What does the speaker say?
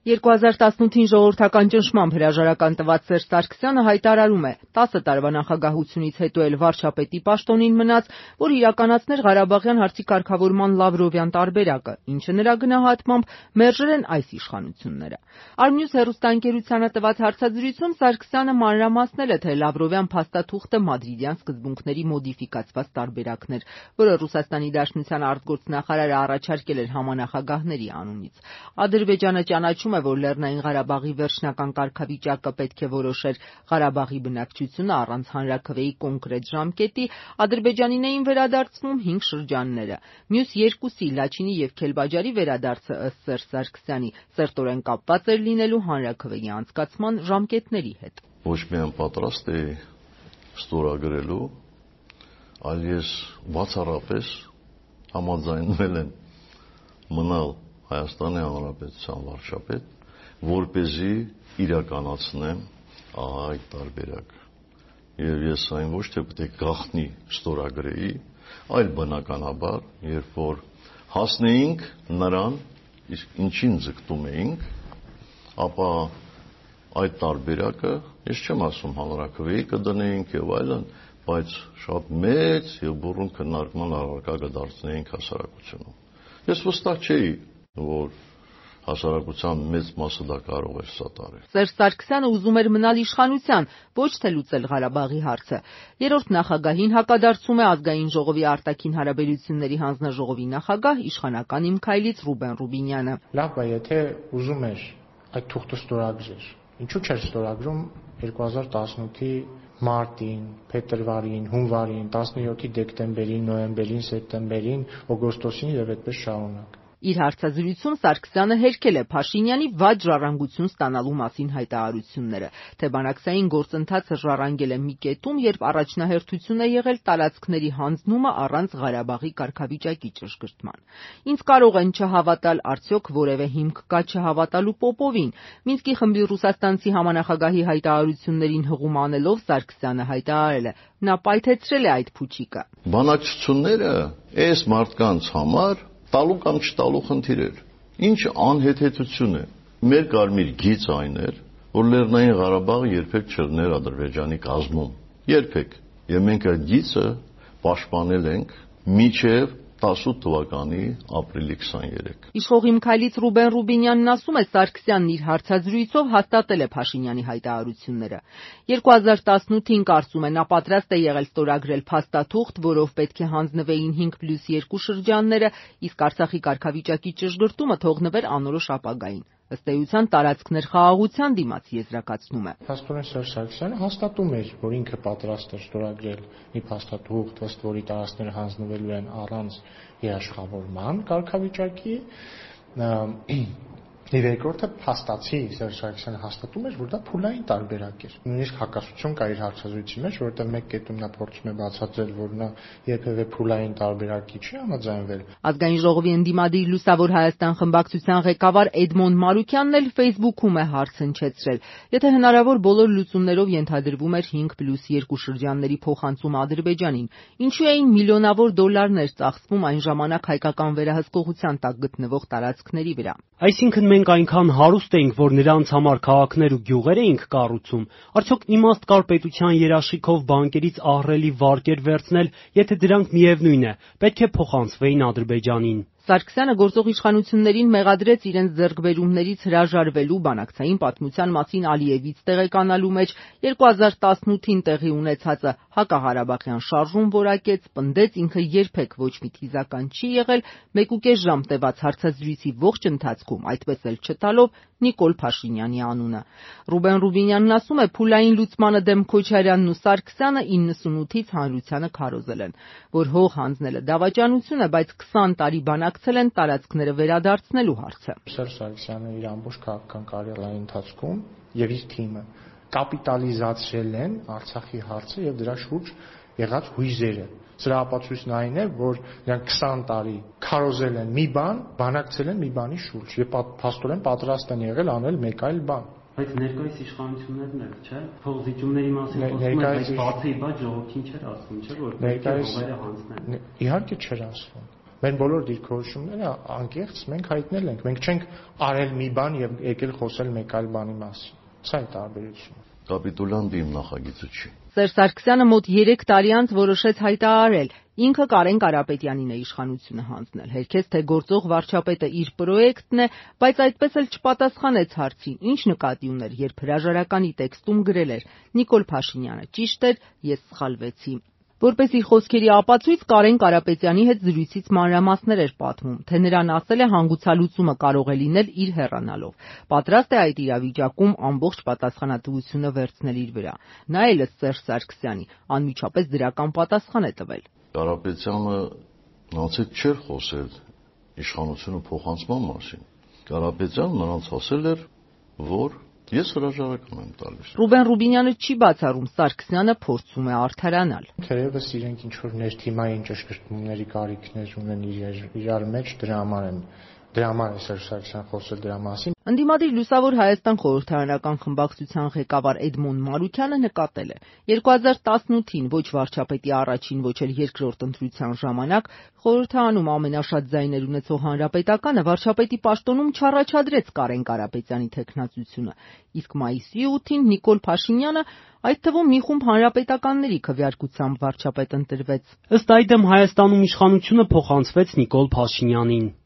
2018-ին ժողովրդական ճնշմամբ հրաժարական տված Սերժ Սարգսյանը հայտարարում է. 10 տարվա նախագահությունից հետո էլ վարչապետի պաշտոնին մնաց, որ իրականացներ Ղարաբաղյան հարցի կարգավորման Լավրովյան տարբերակը, ինչը նրա գնահատմամբ մերժել են այս իշխանությունները։ Արմնյուզ հեռուստաընկերությանը տված հարցազրույցում Սարգսյանը մանրամասնել է, թե Լավրովյան փաստաթուղթը մադրիդյան սկզբունքների մոդիֆիկացված տարբերակն էր, որը Ռուսաստանի Դաշնության արտգործնախարարը առաջարկել էր համանախագահների անունից։ Ադրբեջանը ճանաչում է, որ Լեռնային Ղարաբաղի վերջնական կարգավիճակը պետք է որոշեր Ղարաբաղի բնակչությունը առանց հանրաքվեի կոնկրետ ժամկետի, Ադրբեջանին էին վերադարձվում 5 շրջանները։ Մյուս երկուսի՝ Լաչինի և Քելբաջարի վերադարձը ըստ Սերժ Սարգսյանի սերտորեն կապված էր լինելու հանրաքվեի անցկացման ժամկետների հետ։ Ոչ միայն պատրաստ էի ստորագրելու, այլ ես բացառապես համաձայնվել եմ մնալ Հայաստանի Հանրապետության վարչապետ, որպեսզի իրականացնեմ այդ տարբերակը։ Եվ ես այն ոչ թե պետք է գաղտնի ստորագրեի, այլ բնականաբար, երբ որ հասնեինք նրան, իսկ ինչին ձգտում էինք, ապա այդ տարբերակը, ես չեմ ասում հանրաքվեի կդնեինք եւ այլն, բայց շատ մեծ եւ բուռն քննարկման առարկա կդարձնեինք հասարակությունում։ Ես վստահ չէի, որ հասարակության մեծ մասը դա կարող էր սատարել։ Սերժ Սարգսյանը ուզում էր մնալ իշխանության, ոչ թե լուծել Ղարաբաղի հարցը։ Երրորդ նախագահին հակադարձում է Ազգային ժողովի արտաքին հարաբերությունների հանձնաժողովի նախագահ իշխանական Իմ քայլից Ռուբեն Ռուբինյանը։ Լավ է, եթե ուզում էր այդ թուղթը ստորագրեր, ինչու՞ չէր ստորագրում 2018-ի մարտին, փետրվարին, հունվարին, 17-ի դեկտեմբերին, նոյեմբերին, սեպտեմբերին, օգոստոսին եւ այդպես շարունակ։ Իր հարցազրույցում Սարգսյանը հերքել է Փաշինյանի վատ ժառանգություն ստանալու մասին հայտարարությունները, թե բանակցային գործընթացը ժառանգել է մի կետում, երբ առաջնահերթություն է եղել տարածքների հանձնումը առանց Ղարաբաղի կարգավիճակի ճշգրտման։ Ինձ կարող են չհավատալ, արդյոք որևէ հիմք կա չհավատալու Պոպովին։ Մինսկի խմբի ռուսաստանցի համանախագահի հայտարարություններին հղում անելով Սարգսյանը հայտարարել է. նա պայթեցրել է այդ փուչիկը։ Բանակցությունները այս մարդկանց համար տալու կամ չտալու խնդիր էր։ Ինչ անհեթեթություն է։ Մեր կարմիր գիծ այն էր, որ Լեռնային Ղարաբաղը երբեք չլներ Ադրբեջանի կազմում։ Երբեք։ Եվ մենք այդ գիծը պաշտպանել ենք մինչև 18 թվականի ապրիլի 23։ Իշխող Իմ քայլից Ռուբեն Ռուբինյանն ասում է, Սարգսյանն իր հարցազրույցով հաստատել է Փաշինյանի հայտարարությունները։ 2018-ին կարծում է, նա պատրաստ է եղել ստորագրել փաստաթուղթ, որով պետք է հանձնվեին 5+2 շրջանները, իսկ Արցախի կարգավիճակի ճշգրտումը թողնվեր անորոշ ապագային։ Ըստ էության տարածքներ խաղաղության դիմաց եզրակացնում է։ Փաստորեն Սերժ Սարգսյանը հաստատում էր, որ ինքը պատրաստ է ստորագրել մի փաստաթուղթ, ըստ որի տարածքները հանձնվելու են առանց երաշխավորման կարգավիճակի։ Եվ երկրորդը փաստացի Սերժ Սարգսյանը հաստատում էր, որ դա փուլային տարբերակ էր։ Նույնիսկ հակասություն կա իր հարցազրույցի մեջ, որովհետև մեկ կետում նա փորձում է բացատրել, որ նա երբևէ փուլային տարբերակի չի համաձայնվել։ Ազգային ժողովի ընդդիմադիր Լուսավոր Հայաստան խմբակցության ղեկավար Էդմոն Մարուկյանն էլ Facebook-ում է հարց հնչեցրել. եթե հնարավոր բոլոր լուծումներով ենթադրվում էր 5+2 շրջանների փոխանցում Ադրբեջանին, ինչու էին միլիոնավոր դոլարներ ծախսվում այն ժամանակ հայկական վերահսկողության տակ գտնվող տարածքների վրա։ Այսինքն մենք այնքան հարուստ էինք, որ նրանց համար քաղաքներ ու գյուղեր էինք կառուցում, արդյոք իմաստ կար պետության երաշխիքով բանկերից ահռելի վարկեր վերցնել, եթե դրանք միևնույն է, պետք է փոխանցվեին Ադրբեջանին։ Սարգսյանը գործող իշխանություններին մեղադրեց իրենց ձեռքբերումներից հրաժարվելու, բանակցային պատմության մասին Ալիևից տեղեկանալու մեջ, 2018-ին տեղի ունեցածը հակաղարաբաղյան շարժում որակեց, պնդեց ինքը երբեք ոչ մի թիզական չի եղել, 1.5 ժամ տևած հարցազրույցի ողջ ընթացքում այդպես էլ չտալով Նիկոլ Փաշինյանի անունը։ Ռուբեն Ռուբինյանն ասում է, փուլային լուծմանը դեմ Քոչարյանն ու Սարգսյանը 98-ից հանրությանը քարոզել են, որ հող հանձնելը դավաճանություն է, բայց 20 տարի բանակցել են տարածքները վերադարձնելու հարցը։ Սերժ Սարգսյանը իր ամբողջ քաղաքական կարիերայի ընթացքում եւ իր թիմը կապիտալիզացրել են Արցախի հարցը եւ դրա շուրջ եղած հույզերը։ Սրա ապացույցն այն է, որ նրանք 20 տարի քարոզել են մի բան, բանակցել են մի բանի շուրջ եւ փաստորեն պատրաստ են եղել անել մեկ այլ բան։ Բայց ներկայիս իշխանություններն էլ, չէ՞, փողզիջումների մասին խոսում են, բայց բացի բաց ժողովրդին չէր ասում, չէ՞, որ պետք է հողերը հանձնեն։ Իհարկե չէր ասում։ Մեր բոլոր դիրքորոշումները անկեղծ մենք հայտնել ենք։ Մենք չենք արել մի բան եւ եկել խոսել մեկ այլ բանի մասին։ Սա է տարբերությունը։ Կապիտուլյանտը իմ նախագիծը չի։ Սերժ Սարգսյանը մոտ 3 տարի անց որոշեց հայտարարել. ինքը Կարեն Կարապետյանին է իշխանությունը հանձնել։ Հերքեց, թե գործող վարչապետը իր պրոյեկտն է, բայց այդպես էլ չպատասխանեց հարցին, ինչ նկատի ուներ, երբ հրաժարականի տեքստում գրել էր. Նիկոլ Փաշինյանը ճիշտ էր, ես սխալվեցի։ Որպես իր խոսքերի ապացույց Կարեն Կարապետյանի հետ զրույցից մանրամասներ էր պատմում, թե նրան ասել է հանգուցալուծումը կարող է լինել իր հեռանալով։ Պատրաստ է այդ իրավիճակում ամբողջ պատասխանատվությունը վերցնել իր վրա։ Նա էլ ըստ Սերժ Սարգսյանի անմիջապես դրական պատասխան է տվել։ Կարապետյանը նրանց հետ չէր խոսել իշխանությունը փոխանցման մասին։ Կարապետյանը նրանց ասել էր, որ ես հրաժարական եմ տալիս։ Ռուբեն Ռուբինյանը չի բացառում, Սարգսյանը փորձում է արդարանալ։ Թերևս իրենք ինչ որ ներթիմային ճշգրտումների կարիքներ ունեն իրար մեջ, դրա համար է Սերժ Սարգսյանը խոսել դրա մասին։ Ընդդիմադիր Լուսավոր Հայաստան խորհրդարանական խմբակցության ղեկավար Էդմոն Մարուքյանը նկատել է. 2018-ին ոչ վարչապետի առաջին, ոչ էլ երկրորդ ընտրության ժամանակ խորհրդարանում ամենաշատ ձայներ ունեցող Հանրապետականը վարչապետի պաշտոնում չառաջադրեց Կարեն Կարապետյանի թեկնածությունը, իսկ մայիսի 8-ին Նիկոլ Փաշինյանը, այդ թվում մի խումբ հանրապետականների քվեարկությամբ վարչապետ ընտրվեց։ Ըստ այդմ Հայաստանում իշխանությունը փոխանցվեց Նիկոլ Փաշինյանին։